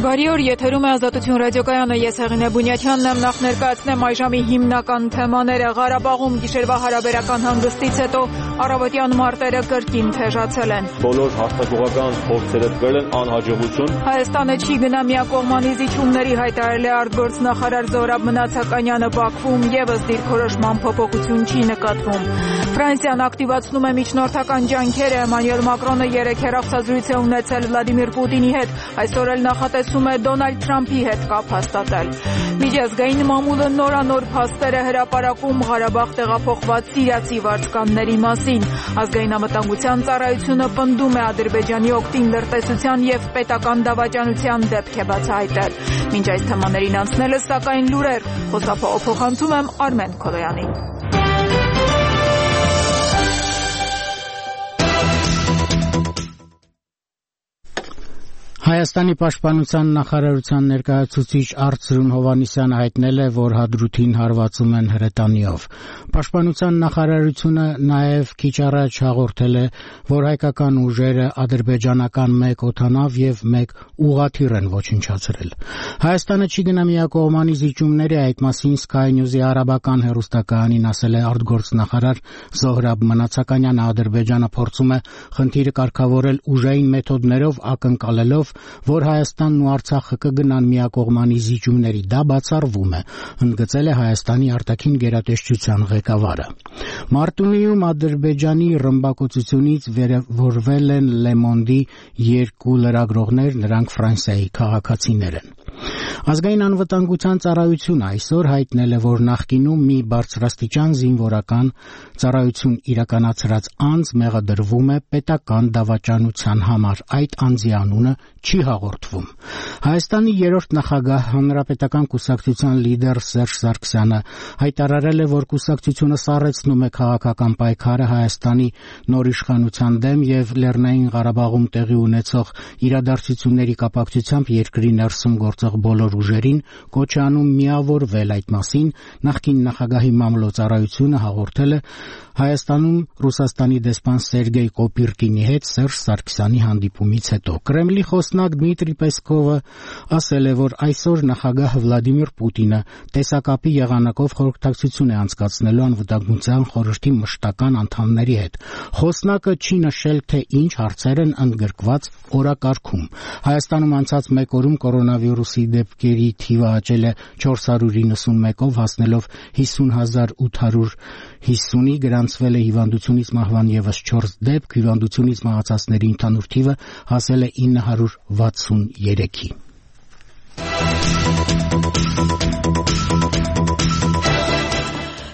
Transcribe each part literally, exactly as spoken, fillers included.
Բարի օր, եթերում է Ազատություն ռադիոկայանը, ես Հեղինե Բունյաթյանն եմ, նախ ներկայացնեմ այժմի հիմնական թեմաները։ Ղարաբաղում գիշերվա հարաբերական հանգստից հետո առավոտյան մարտերը կրկին թեժացել են։ Բոլոր հաստատողական փորձերը տվել են անհաջողություն։ Հայաստանը չի գնա միակողմանի զիջումների, հայտարարել է արտգործնախարար Զոհրաբ Մնացականյանը։ Բաքվում ևս դիրքորոշման փոփոխություն չի նկատվում։ Ֆրանսիան ակտիվացնում է միջնորդական ջանքերը։ Էմանուել Մակրոնը երեկ հեռախոսազրույց է ունեցել Վլադիմիր Պուտինի հետ, այսօր էլ նախատեսում է Դոնալդ Թրամփի հետ կապ հաստատել։ Միջազգային մամուլը նորանոր փաստեր է հրապարակում Ղարաբաղ տեղափոխված սիրիացի վարձկանների մասին։ Ազգային անվտանգության ծառայությունը պնդում է Ադրբեջանի օգտին լրտեսության եւ պետական դավաճանության դեպք է բացահայտել։ Մինչ այս թեմաներին անցնելը, սակայն լուրեր, խոսափողը փոխանցում եմ Արմեն Քոլոյանին։ Հայաստանի պաշտպանության նախարարության ներկայացուցիչ Արծրուն Հովհաննիսյանը հայտնել է, որ Հադրութին հարվածում են հրետանիով։ Պաշտպանության նախարարությունը նաև քիչ առաջ հաղորդել է, որ հայկական ուժերը ադրբեջանական մեկ օդանավ եւ մեկ ուղղաթիռ են ոչնչացրել։ Հայաստանը չի գնա միակողմանի զիջումների, այդ մասին Sky News-ի արաբական հեռուստակայանին ասել է արտգործնախարար Զոհրաբ Մնացականյանը։ Ադրբեջանը փորձում է խնդիրը կարգավորել ուժային մեթոդներով, ակնկալելով, որ Հայաստանն ու Արցախը կգնան միակողմանի զիջումների, դա բացառվում է, ընդգծել է Հայաստանի արտաքին գերատեսչության ղեկավարը։ Մարտունիում Ադրբեջանի ռմբակոծությունից վերևորվել են Le Monde-ի երկու լրագրողներ, նրանք Ֆրանսիայի քաղաքացիներ են։ Ազգային անվտանգության ծառայությունը այսօր հայտնել է, որ նախկինում մի բարձրաստիճան զինվորական ծառայություն իրականացրած անձ մեղադրվում է պետական դավաճանության համար, այդ անձի անունը չի հաղորդվում։ Հայաստանի երրորդ նախագահ, Հանրապետական կուսակցության լիդեր Սերժ Սարգսյանը հայտարարել է, որ կուսակցությունը սառեցնում է քաղաքական պայքարը Հայաստանի նոր իշխանության դեմ եւ Լեռնային Ղարաբաղում տեղի ունեցող իրադարձությունների կապակցությամբ երկրի ներսում գործող բոլոր ուժերին կոչ է անում միավորվել։ Այդ մասին նախկին նախագահի մամլոյցարայությունը հաղորդել է Հայաստանում Ռուսաստանի դեսպան Սերգեյ Կոպիրկինի հետ Սերժ Սարգսյանի հանդիպումից հետո։ Կրեմլի խոսնակ Դմիտրի Պեսկովը ասել է, որ այսօր նախագահ Վլադիմիր Պուտինը տեսակապի եղանակով խորհրդակցություն է անցկացնելու անվտանգության խորհրդի մշտական անդամների հետ։ Խոսնակը չի նշել, թե ինչ հարցեր են ընդգրկված օրակարգում։ Հայաստանում անցած մեկ օրում կորոնավիրուսի դեպքերի թիվը աճել է չորս հարյուր իննսունմեկով, հասնելով հիսուն հազար ութ հարյուր հիսունի, գրանցվել է հիվանդությունից մահվան ևս չորս դեպք, հիվանդությունից մահացածների ընդհանուր թիվը հասել է ինը հարյուր վաթսուներեքի։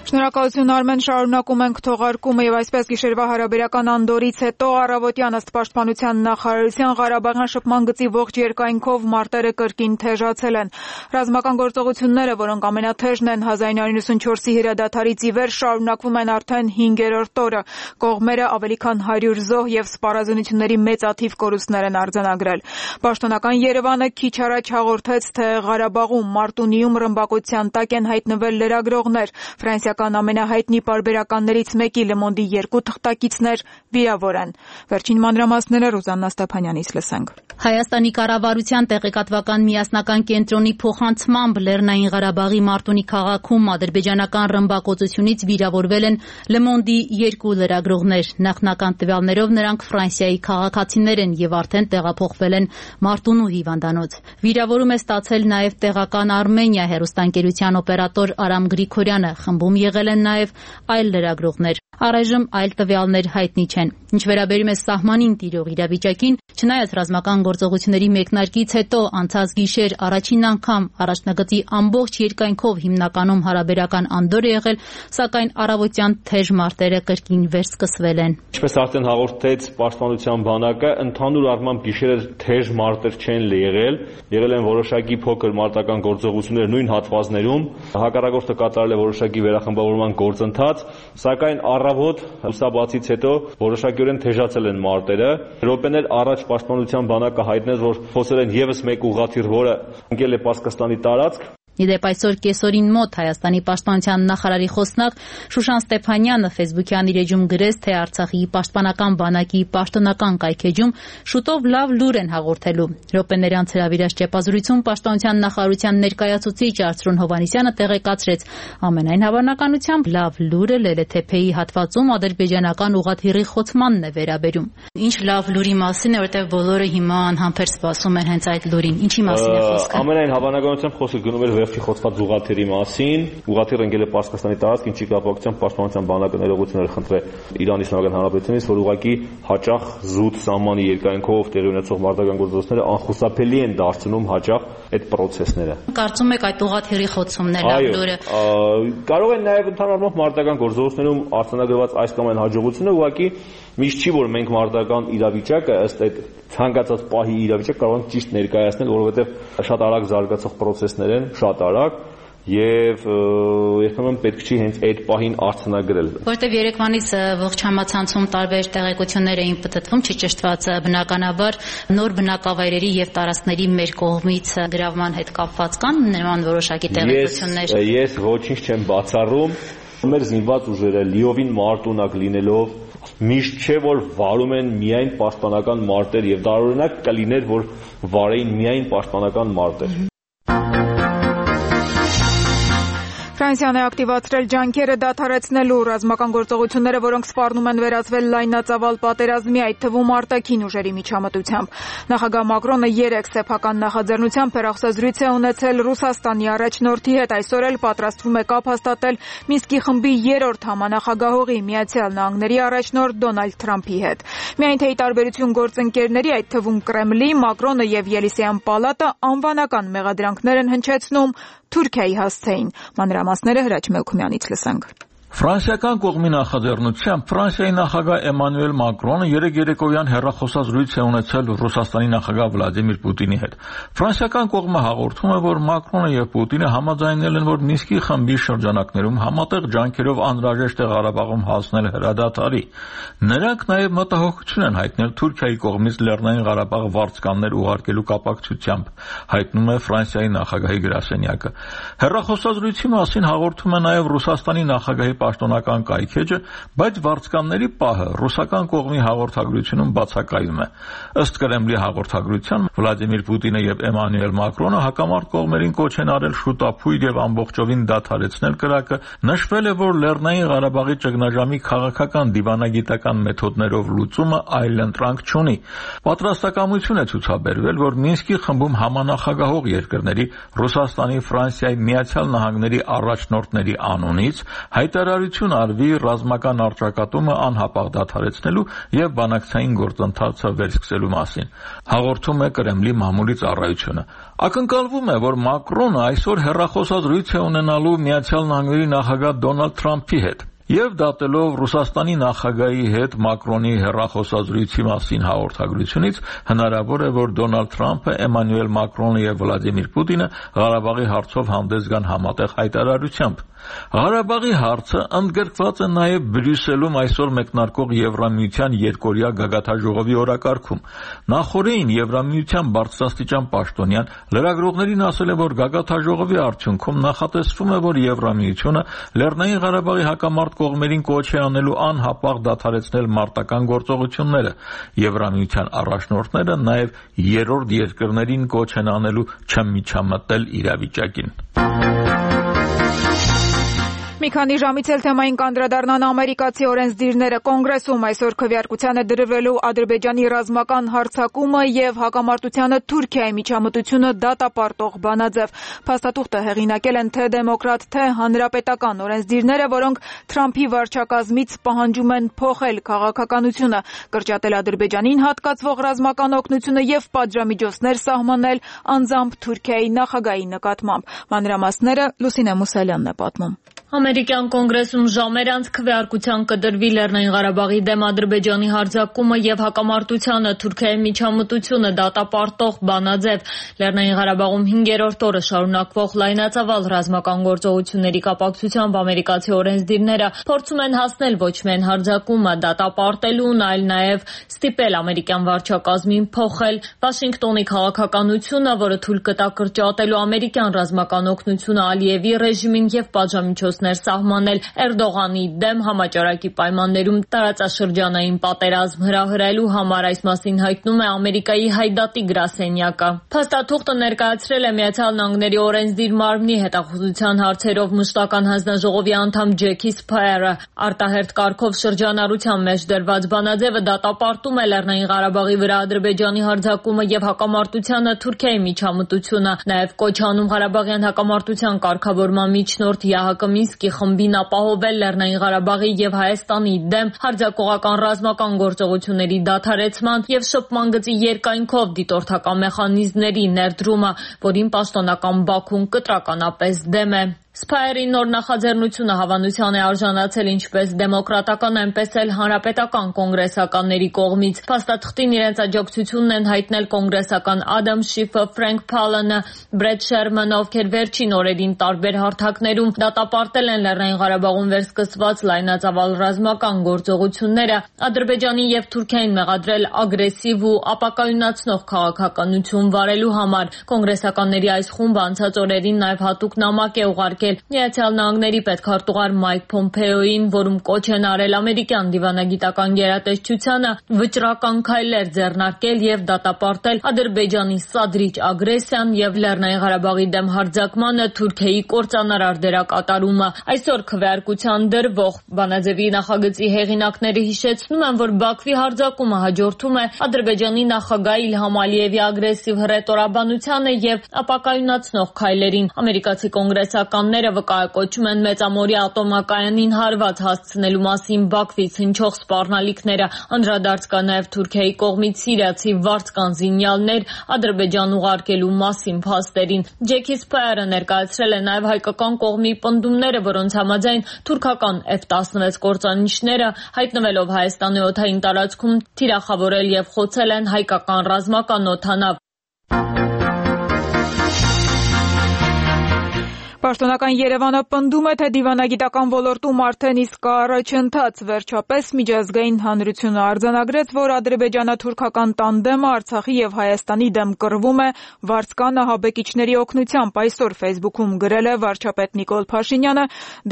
Շնորհակալություն Արմեն, շարունակում ենք թողարկումը եւ այսպես գիշերվա հարաբերական անդորից հետո առավոտյան ըստ պաշտպանության նախարարության Ղարաբաղյան շփման գծի ողջ երկայնքով մարտերը կրկին թեժացել են։ Ռազմական գործողությունները, որոնք ամենաթեժն են հազար իննյակ հարյուր նվաթ չորսի հրադադարից ի վեր, շարունակվում են արդեն հինգերորդ օրը։ Կողմերը ավելի քան հարյուր զոհ եւ սպառազինությունների մեծաթիվ կորուստներ են արձանագրել։ Պաշտոնական Երևանը քիչ առաջ հաղորդեց, թե Ղարաբաղում Մարտունիում ռմբակոծության տակ են հայտնվել լրագրողներ։ Ֆրանսիական ամենահայտնի պարբերականներից մեկի Le Monde-ի երկու թղթակիցներ վիրավոր են։ Վերջին մանրամասները Ռուզաննա Ստեփանյանից լսենք։ Հայաստանի կառավարության տեղեկատվական միասնական կենտրոնի փոխանցմամբ Լեռնային Ղարաբաղի Մարտունի քաղաքում ադրբեջանական ռմբակոծությունից վիրավորվել են Le Monde-ի երկու լրագրողներ։ Նախնական տվյալներով նրանք Ֆրանսիայի քաղաքացիներ են եւ արդեն տեղափոխվել են Մարտունու հիվանդանոց։ Վիրավորում է ստացել նաեւ տեղական Արմենիա հեռուստաընկերության օպերատոր Արամ Գրիգորյանը, խմբում եղել են նաեւ այլ լրագրողներ։ Առայժմ այլ տվյալներ հայտնի չեն։ Ինչ վերաբերում է սահմանին տիրող իրավիճակին, չնայած ռազմական գործողությունների մեկնարկից հետո անցած գիշեր առաջին անգամ առաջնագծի ամբողջ երկայնքով հիմնականում հարաբերական անդոր է եղել, սակայն առավոտյան թեժ մարտերը կրկին վերսկսվել են։ Ինչպես արդեն հաղորդեց պաշտպանության բանակը, ընդհանուր առմամբ գիշերը թեժ մարտեր չեն եղել, եղել են որոշակի փոքր մարտական գործողություններ նույն հատվածներում, հակառակորդը կատարել է որոշակի վերախմբավորման գործընթաց, սակայն առավոտ լուսաբացից հետո որոշակիորեն թեժացել են մարտերը։ Րոպեներ առաջ պաշտպանության բանակը հայտնեց, որ խոսել են ևս մեկ ուղղաթիռ, որը ընկել է Պարսկաստանի տարածք, Իդեպ այսօր կեսօրին մոտ Հայաստանի պաշտպանության նախարարի խոսնակ Շուշան Ստեփանյանը Facebook-յան իր էջում գրեց, թե Արցախի պաշտպանական բանակի պաշտոնական կայքեջում շուտով լավ լուր են հաղորդելու։ Րոպեների անց հրավիրած ճեպազրույցում պաշտպանության նախարարության ներկայացուցիչ Արծրուն Հովհաննիսյանը տեղեկացրեց, ամենայն հավանականությամբ լավ լուրը Լելեթեփեի հատվածում ադրբեջանական ուղղաթիռի խոցմանն է վերաբերում։ Ինչ լավ լուրի մասին է, որտեղ բոլորը հիմա անհամբեր սպասում են հենց այդ լուրին։ Ինչի մասին է խոսքը։ Ամենայն հավանականությամբ խոսքը գնում էր վերջի խոցված ուղղաթիռի մասին։ Ուղղաթիռը ընկել է Պարսկաստանի տարածք, ինչի կապակցությամբ պաշտպանության բանակը ներողություններ խնդրել Իրանի Իսլամական Հանրապետությունից, որ ուղղակի հաճախ զուտ սահմանի երկայնքով տեղի ունեցող մարտական գործողությունները անխուսափելի են դարձնում հաճախ այդ պրոցեսները։ Կարծում եք այդ ուղղաթիռի խոցումն է լավ լուրը։ Կարող են նաև ընդհանրապես մարտական գործողություններում արձանագրված այս կամ այն հաջողությունը ուղղակի միշտ չի, որ մենք մարտական իրավիճակը ըստ այդ ցանկացած պահի իրավիճակ կարող ենք ճիշտ ներկայացնել, որովհետև շատ արագ զարգացող պրոցեսներ են, շատ արագ, եւ երբեմն պետք չի հենց այդ պահին արձանագրել։ Որտեւ երեկվանից ողջ համացանցում տարբեր տեղեկություններ էին պտտվում, չճշտված բնականաբար նոր բնակավայրերի եւ տարածքների մեր կողմից գրավման հետ կապված կան նման որոշակի տեղեկություններ։ Ես ես ոչինչ չեմ բացառում։ Մեր զինված ուժերը լիովին մարտունակ լինելով միշտ չէ որ վարում են միայն պաշտպանական մարտեր եւ տարօրինակ կլիներ որ վարեին միայն պաշտպանական մարտեր։ Ֆրանսիան է ակտիվացրել ջանքերը դադարեցնելու ռազմական գործողությունները, որոնք սպառնում են վերածվել լայնածավալ պատերազմի, այդ թվում արտաքին ուժերի միջամտությամբ։ Նախագահ Մակրոնը երեք սեփական նախաձեռնությամբ հեռախոսազրույց է ունեցել Ռուսաստանի առաջնորդի հետ, այսօր էլ պատրաստվում է կապ հաստատել Մինսկի խմբի երրորդ համանախագահողի Միացյալ Նահանգների առաջնորդ Դոնալդ Թրամփի հետ։ Միայն թե ի տարբերություն գործընկերների, այդ թվում Կրեմլի, Մակրոնը եւ Ելիսեյան պալատը անվանական մեղադրանքներ են հնչեցնում Թուրքիայի հասցեին։ Մանրամասները Հրաչ Մելքումյանից լսենք։ Ֆրանսիական կողմի նախաձեռնությամբ Ֆրանսիայի նախագահ Էմանուել Մակրոնը երեկ երեկոյան հեռախոսազրույց է ունեցել Ռուսաստանի նախագահ Վլադիմիր Պուտինի հետ։ Ֆրանսիական կողմը հաղորդում է, որ Մակրոնը եւ Պուտինը համաձայնել են, որ Մինսկի խմբի շրջանակներում համատեղ ջանքերով անհրաժեշտ է Ղարաբաղում հասնել հրադադարի։ Նրանք նաեւ մտահոգություն են հայտնել Թուրքիայի կողմից Լեռնային Ղարաբաղ վարձկաններ ուղարկելու կապակցությամբ, հայտնում է Ֆրանսիայի նախագահի գրասենյակը։ Հեռախոսազրույցի մասին հաղորդում է նաեւ Ռուսաստանի նախագահի պաշտոնական կայքեջը, բայց վարձկանների պահը ռուսական կողմի հաղորդագրությունում բացակայում է։ Ըստ Կրեմլի հաղորդագրության Վլադիմիր Պուտինը եւ Էմանուել Մակրոնը հակամարտ կողմերին կոչ են արել շուտափույթ եւ ամբողջովին դադարեցնել կրակը, նշվել է, որ Լեռնային Ղարաբաղի ճգնաժամի քաղաքական դիվանագիտական մեթոդներով լուծումը այլընտրանք չունի։ Պատրաստակամություն է ցուցաբերվել, որ Մինսկի խմբում համանախագահող երկրների Ռուսաստանի, Ֆրանսիայի, Միացյալ Նահանգների առաջնորդների անունից հայտարարություն արվի ռազմական առճակատումը անհապաղ դադարեցնելու եւ բանակցային գործընթացը վերսկսելու մասին։ Հաղորդում է Կրեմլի մամուլի ծառայությունը։ Ակնկալվում է, որ Մակրոնը այսօր հեռախոսազրույց է ունենալու Միացյալ Նահանգների նախագահ Դոնալդ Թրամփի հետ։ Եվ դատելով Ռուսաստանի նախագահի հետ Մակրոնի հեռախոսազրույցի մասին հաղորդագրությունից հնարավոր է, որ Դոնալդ Թրամփը, Էմանուել Մակրոնը եւ Վլադիմիր Պուտինը Ղարաբաղի հարցով հանդես գան համատեղ հայտարարությամբ։ Ղարաբաղի հարցը ընդգրկված է նաև Բրյուսելում այսօր մեկնարկող Եվրամիության երկօրյա գագաթաժողովի օրակարգում։ Նախորդին Եվրամիության բարձրաստիճան պաշտոնյան լրագրողներին ասել է, որ գագաթաժողովի արդյունքում նախատեսվում է, որ Եվրամիությունը Լեռնային Ղարաբաղի հակամարտ կողմերին կոչ է անելու անհապաղ դադարեցնել մարտական գործողությունները։ Եվրամիության առաջնորդները նաև երրորդ երկրներին կոչ են անելու չմիջամտել իրավիճակին։ Մի քանի ժամից էլ թեմային կանդրադառնան ամերիկացի օրենսդիրները։ Կոնգրեսում այսօր քվեարկության է դրվելու Ադրբեջանի ռազմական հարձակումը եւ հակամարտությանը Թուրքիայի միջամտությունը դատապարտող բանաձև։ Փաստաթուղթը հեղինակել են թե դեմոկրատ, թե հանրապետական օրենսդիրները, որոնք Թրամփի վարչակազմից պահանջում են փոխել քաղաքականությունը, կրճատել Ադրբեջանին հատկացվող ռազմական օգնությունը եւ պատժամիջոցներ սահմանել անձամբ Թուրքիայի նախագահի նկատմամբ։ Մանրամասները Լուսինե Մուսալյանն է պատմում։ Ամերիկյան կոնգրեսում ժամեր անց քվեարկության կդրվի Լեռնային Ղարաբաղի դեմ Ադրբեջանի հարձակումը եւ հակամարտությանը Թուրքիայի միջամտությունը դատապարտող բանաձև։ Լեռնային Ղարաբաղում հինգերորդ օրը շարունակվող լայնածավալ ռազմական գործողությունների կապակցությամբ ամերիկացի օրենսդիրները փորձում են հասնել ոչ միայն հարձակումը դատապարտելուն, այլ նաեւ ստիպել ամերիկյան վարչակազմին փոխել Վաշինգտոնի քաղաքականությունը, որը թույլ կտա կրճատելու ամերիկյան ռազմական օգնությունը Ալիևի ռեժիմին եւ պատժամիջոցներ սահմանել Էրդողանի դեմ համաճարակի պայմաններում տարածաշրջանային պատերազմ հրահրելու համար, այս մասին հայտնում է Ամերիկայի հայդատի գրասենյակը։ Փաստաթուղթը ներկայացրել է Միացյալ Նահանգների օրենսդիր մարմնի հետախուզության հարցերով մշտական հանձնաժողովի անդամ Ջեքի Սփայերը։ Արտահերթ կարգով շրջանառության մեջ դրված բանաձևը դատապարտում է Լեռնային Ղարաբաղի վրա Ադրբեջանի հարձակումը եւ հակամարտությանը Թուրքիայի միջամտությունը, նաեւ կոչ անում Ղարաբաղյան հակամարտության կարգավորման միջնորդ ԵԱՀԿ Մինսկի խմբին ապահովել Լեռնային Ղարաբաղի եւ Հայաստանի դեմ հարձակողական ռազմական գործողությունների դադարեցման եւ շփման գծի երկայնքով դիտորդական մեխանիզմների ներդրումը, որին պաշտոնական Բաքուն կտրականապես դեմ է։ Սփայերի նոր նախաձեռնությունը հավանության է արժանացել ինչպես դեմոկրատական, այնպես էլ հանրապետական կոնգրեսականների կողմից։ Փաստաթղթին իրենց աջակցությունն են հայտնել կոնգրեսական Ադամ Շիֆը, Ֆրենկ Փալանը, Բրեդ Շերմանը, ովքեր վերջին օրերին տարբեր հարթակներում դատապարտել են Լեռնային Ղարաբաղում վերսկսված լայնածավալ ռազմական գործողությունները, Ադրբեջանի եւ Թուրքիային մեղադրել ագրեսիվ ու ապակայունացնող քաղաքականություն վարելու համար։ Կոնգրեսականների այս խումբը անցած օրերին նաեւ հատուկ նամակ է ուղարկել Միացյալ Նահանգների պետքարտուղար Մայք Փոմփեոյին, որում կոչ են արել ամերիկյան դիվանագիտական գերատեսչությանը վճռական քայլեր ձեռնարկել եւ դատապարտել Ադրբեջանի սադրիչ ագրեսիան եւ Լեռնային Ղարաբաղի դեմ հարձակմանը Թուրքիայի կործանարար դերակատարումը։ Այսօր քվեարկության դրվող բանաձևի նախագծի հեղինակները հիշեցնում են, որ Բաքվի հարձակումը հաջորդում է Ադրբեջանի նախագահ Իլհամ Ալիևի ագրեսիվ հռետորաբանությանը եւ ապակայունացնող քայլերին։ Ամերիկացի կոնգրեսականները վկայակոչում են մեծամորի ատոմակայանին հարված հասցնելու մասին Բաքվից հնչող սպառնալիքները, անդրադարձ կա նաև Թուրքիայի կողմից սիրիացի վարձկան զինյալներ Ադրբեջան ուղարկելու մասին փաստերին։ Ջեքի Սփայերը ներկայացրել է նաև հայկական կողմի պնդումները, որոնց համաձայն թուրքական Էֆ տասնվեց կործանիչները հայտնվելով Հայաստանի օդային տարածքում թիրախավորել եւ խոցել են հայկական ռազմական օդանավ։ Պաշտոնական Երևանը պնդում է, թե դիվանագիտական ոլորտում արդեն իսկ կա առաջընթաց։ Վերջապես միջազգային հանրությունը արձանագրեց, որ ադրբեջանա-թուրքական տանդեմը Արցախի եւ Հայաստանի դեմ կռվում է վարձկան ահաբեկիչների օգնությամբ։ Այսօր Facebook-ում գրել է վարչապետ Նիկոլ Փաշինյանը,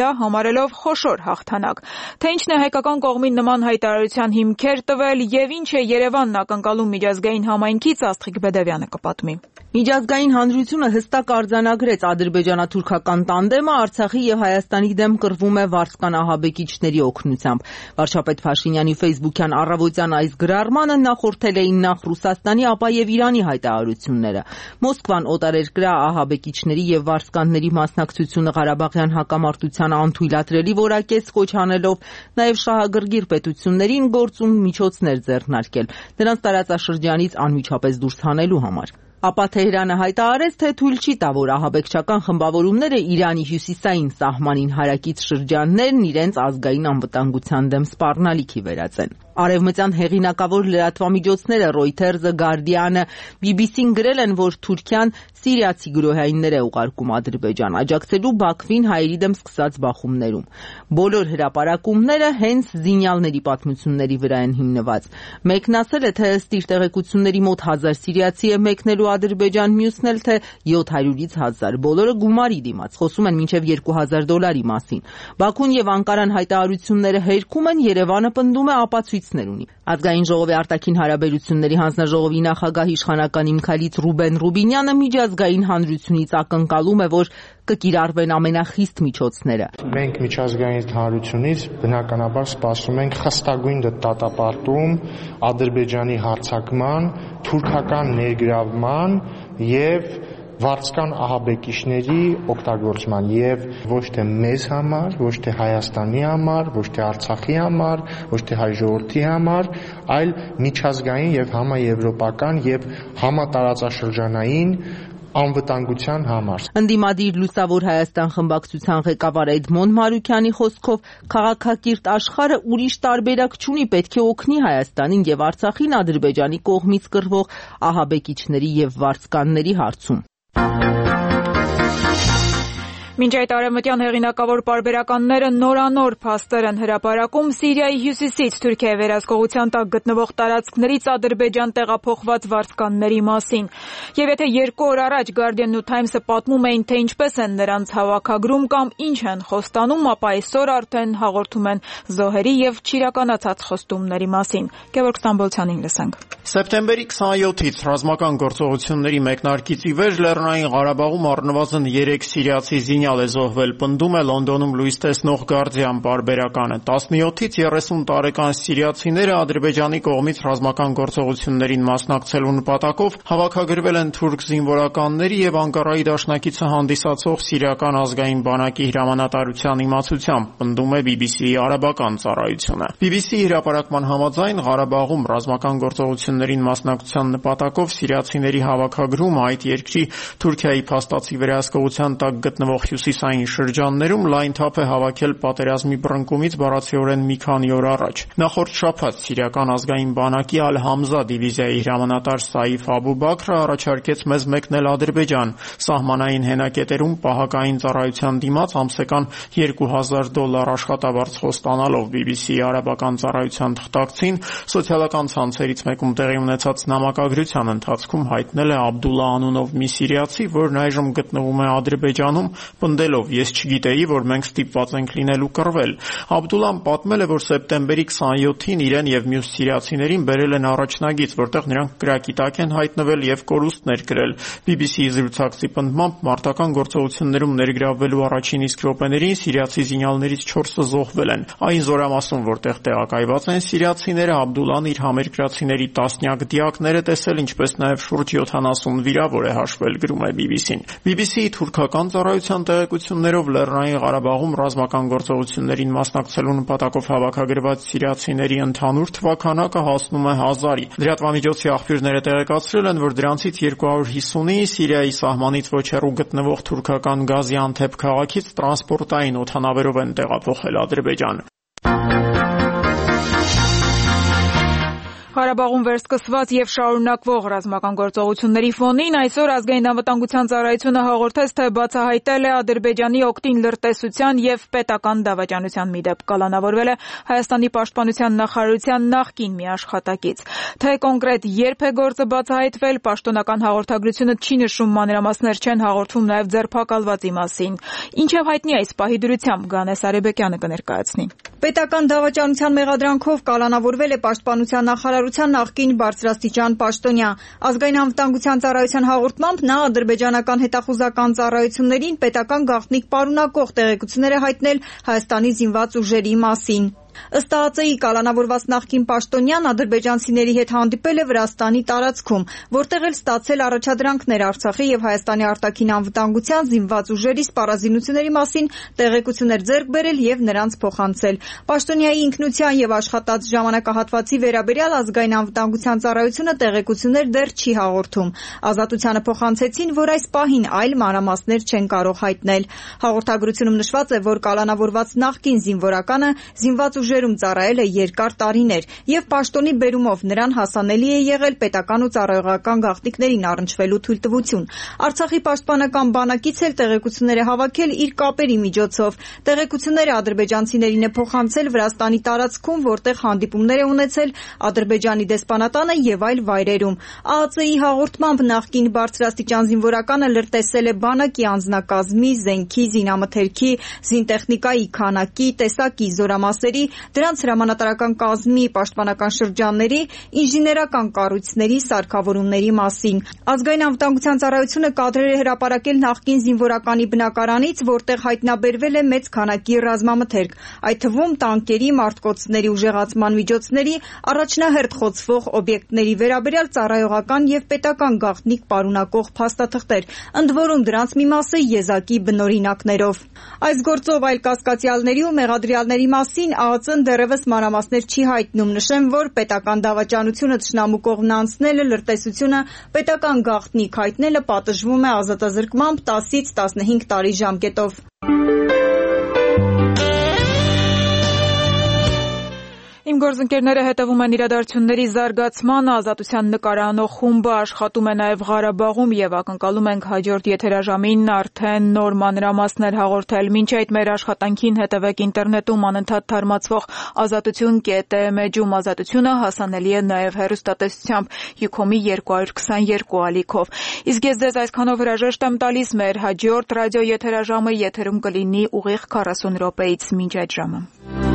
դա համարելով խոշոր հաղթանակ։ Թե ինչն է հայկական կողմին նման հայտարարության հիմքեր տվել եւ ինչ է Երևանն ակնկալում միջազգային համայնքից, Աստղիկ Բեդևյանը կպատմի։ Միջազգային հանրությունը հստակ արձանագրեց ադրբեջանա-թուրքական տանդեմը Արցախի եւ Հայաստանի դեմ կռվում է վարձկան ահաբեկիչների օգնությամբ։ Վարչապետ Փաշինյանի ֆեյսբուքյան առավոտյան այս գրառմանը նախորդել էին նախ Ռուսաստանի, ապա եւ Իրանի հայտարարությունները։ Մոսկվան օտարերկրյա ահաբեկիչների եւ վարձկանների մասնակցությունը Ղարաբաղյան հակամարտությանը անթույլատրելի որակեց, կոչ անելով նաեւ շահագրգիռ պետություններին գործուն միջոցներ ձեռնարկել, նրանց տարածաշրջանից անմիջապես դուրս հանելու համար։ Ապա Թեհրանը հայտարարեց, թե թույլ չի տա, որ ահաբեկչական խմբավորումները Իրանի հյուսիսային սահմանին հարակից շրջաններն իրենց ազգային անվտանգության դեմ սպառնալիքի վերածեն։ Արևմտյան հեղինակավոր լրատվամիջոցները Reuters-ը, Guardian-ը, բի բի սին գրել են, որ Թուրքիան սիրիացի գրոհայիններ է ուղարկում Ադրբեջան, աջակցելու Բաքվին հայերի դեմ սկսած բախումներում։ Բոլոր հրապարակումները հենց զինյալների պատմությունների վրա են հիմնված։ Մեկն ասել է, թե ըստ իր տեղեկությունների մոտ հազար սիրիացի է մեկնելու Ադրբեջան, մյուսն էլ թե յոթ հարյուրից հազար, բոլորը գումարի դիմաց, խոսում են մինչև երկու հազար դոլարի մասին։ Բաքուն եւ Անկարան հայտարարությունները հերքում են, Երևանը պնդում է ապացույցներ ունի։ Ազգային ժողովի արտաքին հարաբերությունների հանձնաժողովի նախագահ իշխանական իմքալից Ռուբեն Ռուբինյանը միջազգային հանրությունից ակնկալում է, որ կկիրառվեն ամենախիստ միջոցները։ Մենք միջազգային հանրությունից բնականաբար սպասում ենք խստագույն դատապարտում Ադրբեջանի հարձակման, թուրքական ներգրավման եւ վարձկան ահաբեկիչների օգտագործման եւ ոչ թե մեզ համար, ոչ թե Հայաստանի համար, ոչ թե Արցախի համար, ոչ թե հայ ժողովրդի համար, այլ միջազգային եւ համաեվրոպական եւ համատարածաշրջանային անվտանգության համար։ Ընդդիմադիր Լուսավոր Հայաստան խմբակցության ղեկավար Էդմոն Մարուքյանի խոսքով քաղաքակիրթ աշխարհը ուրիշ տարբերակ չունի, պետք է օգնի Հայաստանին եւ Արցախին Ադրբեջանի կողմից կռվող ահաբեկիչների եւ վարձկանների հարցում։ Մինչ այդ արևմտյան հեղինակավոր պարբերականները նորանոր փաստեր են հրապարակում Սիրիայի հյուսիսից Թուրքիայի վերահսկողության տակ գտնվող տարածքներից Ադրբեջան տեղափոխված վարձկանների մասին։ Եվ եթե երկու օր առաջ Guardian-ն ու Times-ը պատմում էին, թե ինչպես են նրանց հավաքագրում կամ ինչ են խոստանում, ապա այսօր արդեն հաղորդում են զոհերի եւ չիրականացած խոստումների մասին։ Գևորգ Ստամբոլցյանին լսենք։ Սեպտեմբերի քսաներկուից ռազմական գործողությունների մեկնարկից ի վեր Լեռնային Ղարաբաղում առնվազն երեք սիրիացի զինյալ է զոհվել, պնդում է Լոնդոնում լույս տեսնող Guardian պարբերականը։ տասնյոթից երեսուն տարեկան սիրիացիները Ադրբեջանի կողմից ռազմական գործողություններին մասնակցելու նպատակով հավաքագրվել են թուրք զինվորականների եւ Անկարայի դաշնակիցը հանդիսացող Սիրիական ազգային բանակի հրամանատարության իմացությամբ, պնդում է բի բի սի-ի արաբական ծառայությունը։ բի բի սի-ի հրապարակման համաձայն Ղարաբաղում ռազմական գործողություններին մասնակցության նպատակով սիրիացիների հավաքագրումը այդ երկրի Թուրքիայի փաստացի վերահսկողության տակ գտնվող հյուսիսային շրջաններում լայն թափ է հավաքել պատերազմի բռնկումից բառացիորեն մի քանի օր առաջ։ Նախորդ շաբաթ Սիրիական ազգային բանակի Ալ-Համզա դիվիզիայի հրամանատար Սաիֆ Աբու Բաքրը առաջարկեց մեզ մեկնել Ադրբեջան, սահմանային հենակետերում պահակային ծառայության դիմաց ամսական երկու հազար դոլար աշխատավարձ ստանալով բի բի սի-ի արաբական ծառայության թղթակցին սոցիալական ցանցերից մեկում տեղի ունեցած նամակագրության ընթացքում հայտնել է Աբդուլլա անունով մի սիրիացի, որն այժմ գտնվում է Ադրբեջանում, պնդելով ես չգիտեի, որ մենք ստիպված ենք լինելու կռվել։ Աբդուլլան պատմել է, որ սեպտեմբերի քսաներկուին իրեն եւ մյուս սիրիացիներին բերել են առաջնագիծ, որտեղ նրանք կրակի տակ են հայտնվել եւ կորուստներ գրել։ բի բի սի-ի զրուցակցի պնդմամբ մարտական գործողություններում ներգրավվելու առաջին իսկ րոպեներին սիրիացի զինյալներից չորսը զոհվել են։ Այն զորամասում, որտեղ տեղակայված են սիրիացիները, Աբդուլլան իր համերկրացիների տասնյակ դիակներ է տեսել, ինչպես նաեւ շուրջ յոթանասուն վիրավոր է հաշվել, գրում է բի բի սին։ բի բի սի-ի թուրքական ծառայության տեղեկություններով Լեռնային Ղարաբաղում ռազմական գործողություններին մասնակցելու նպատակով հավաքագրված սիրիացիների ընդհանուր թվաքանակը հասնում է հազարի։ Լրատվամիջոցի աղբյուրները տեղեկացրել են, որ դրանցից երկու հարյուր հիսունը Սիրիայի սահմանից ոչ հեռու գտնվող թուրքական Գազիանթեփ քաղաքից տրանսպորտային օդանավերով են տեղափոխել Ադրբեջան։ Ղարաբաղում վերսկսված եւ շարունակվող ռազմական գործողությունների ֆոնին այսօր ազգային անվտանգության ծառայությունը հաղորդեց, թե բացահայտել է Ադրբեջանի օգտին լրտեսության եւ պետական դավաճանության մի դեպք։ Կալանավորվել է Հայաստանի պաշտպանության նախարարության նախկին մի աշխատակից։ Թե կոնկրետ երբ է գործը բացահայտվել, պաշտոնական հաղորդագրությունը չի նշում, մանրամասներ չեն հաղորդվում նաեւ ձերբակալվածի մասին։ Ինչեւ հայտնի այս պահի դրությամբ Գանես Արեբեկյանը կներկայացնի։ Պետական դավաճանության մեղադրանքով կալանավորվել է պաշտպանության նախարարության նախկին բարձրաստիճան պաշտոնյա։ Ազգային անվտանգության ծառայության հաղորդմամբ նա ադրբեջանական հետախուզական ծառայություններին պետական գաղտնիք պարունակող տեղեկություններ է հայտնել Հայաստանի զինված ուժերի մասին։ Ըստ ԱԱԾ-ի կալանավորված նախկին պաշտոնյան ադրբեջանցիների հետ հանդիպել է Վրաստանի տարածքում, որտեղ էլ ստացել առաջադրանքներ Արցախի եւ Հայաստանի արտաքին անվտանգության զինված ուժերի սպառազինությունների մասին տեղեկություններ ձեռք բերել եւ նրանց փոխանցել։ Պաշտոնյայի ինքնության եւ աշխատած ժամանակահատվածի վերաբերյալ ազգային անվտանգության ծառայությունը տեղեկություններ դեռ չի հաղորդում։ Ազատությանը փոխանցեցին, որ այս պահին այլ մանրամասներ չեն կարող հայտնել։ Հաղորդագրությունում նշված է, որ կալանավորված նախկին զինվորականը զինված ուժերում ծառայել է երկար տարիներ եւ պաշտոնի բերումով նրան հասանելի է եղել պետական ու ծառայողական գաղտնիքներին առնչվելու թույլտվություն։ Արցախի պաշտպանական բանակից էլ տեղեկություններ է հավաքել իր կապերի միջոցով։ Տեղեկությունները ադրբեջանցիներին է փոխանցել Վրաստանի տարածքում, որտեղ հանդիպումներ է ունեցել Ադրբեջանի դեսպանատանը եւ այլ վայրերում։ ԱԱԾ-ի հաղորդմամբ նախկին բարձրաստիճան զինվորականը լրտեսել է բանակի անձնակազմի, զենքի, զինամթերքի, զինտեխնիկայի քանակի, տեսակի, զորամասերի, դրանց հրամանատարական կազմի, պաշտպանական շրջանների, ինժեներական կառույցների, սարքավորումների մասին։ Ազգային անվտանգության ծառայությունը կադրեր է հրապարակել նախկին զինվորականի բնակարանից, որտեղ հայտնաբերվել է մեծ քանակի ռազմամթերք, այդ թվում տանկերի, մարտկոցների ուժեղացման միջոցների, առաջնահերթ խոցվող օբյեկտների վերաբերյալ ծառայողական եւ պետական գաղտնիք պարունակող փաստաթղթեր, ընդ որում դրանց մի մասը եզակի բնօրինակներով։ Այս գործով այլ կասկածյալների ու մեղադրյալների մասին ԱԱԾ ԱԾ-ն դեռևս մանրամասներ չի հայտնում։ Նշեմ, որ պետական դավաճանությունը թշնամու կողմն անցնելը, լրտեսությունը պետական գաղտնիք հայտնելը պատժվում է ազատազրկմամբ տասից տասնհինգ տարի ժամկետով։ Իմ գործընկերները հետևում են իրադարձությունների զարգացմանը, Ազատության նկարանող խումբը աշխատում է նաև Ղարաբաղում եւ ակնկալում ենք հաջորդ եթերաժամին արդեն նոր մանրամասներ հաղորդել։ Մինչ այդ մեր աշխատանքին հետևեք ինտերնետում անընդհատ թարմացվող ազատություն կետ է մեջում։ Ազատությունը հասանելի է նաև հեռուստատեսությամբ Յուքոմի երկու հարյուր քսաներկու ալիքով։ Իսկ ես ձեզ այսքանով հրաժեշտ եմ տալիս, մեր հաջորդ ռադիո եթերաժամը եթերում կլինի ուղիղ քառասուն րոպեից։ Մինչ այդ ժամը։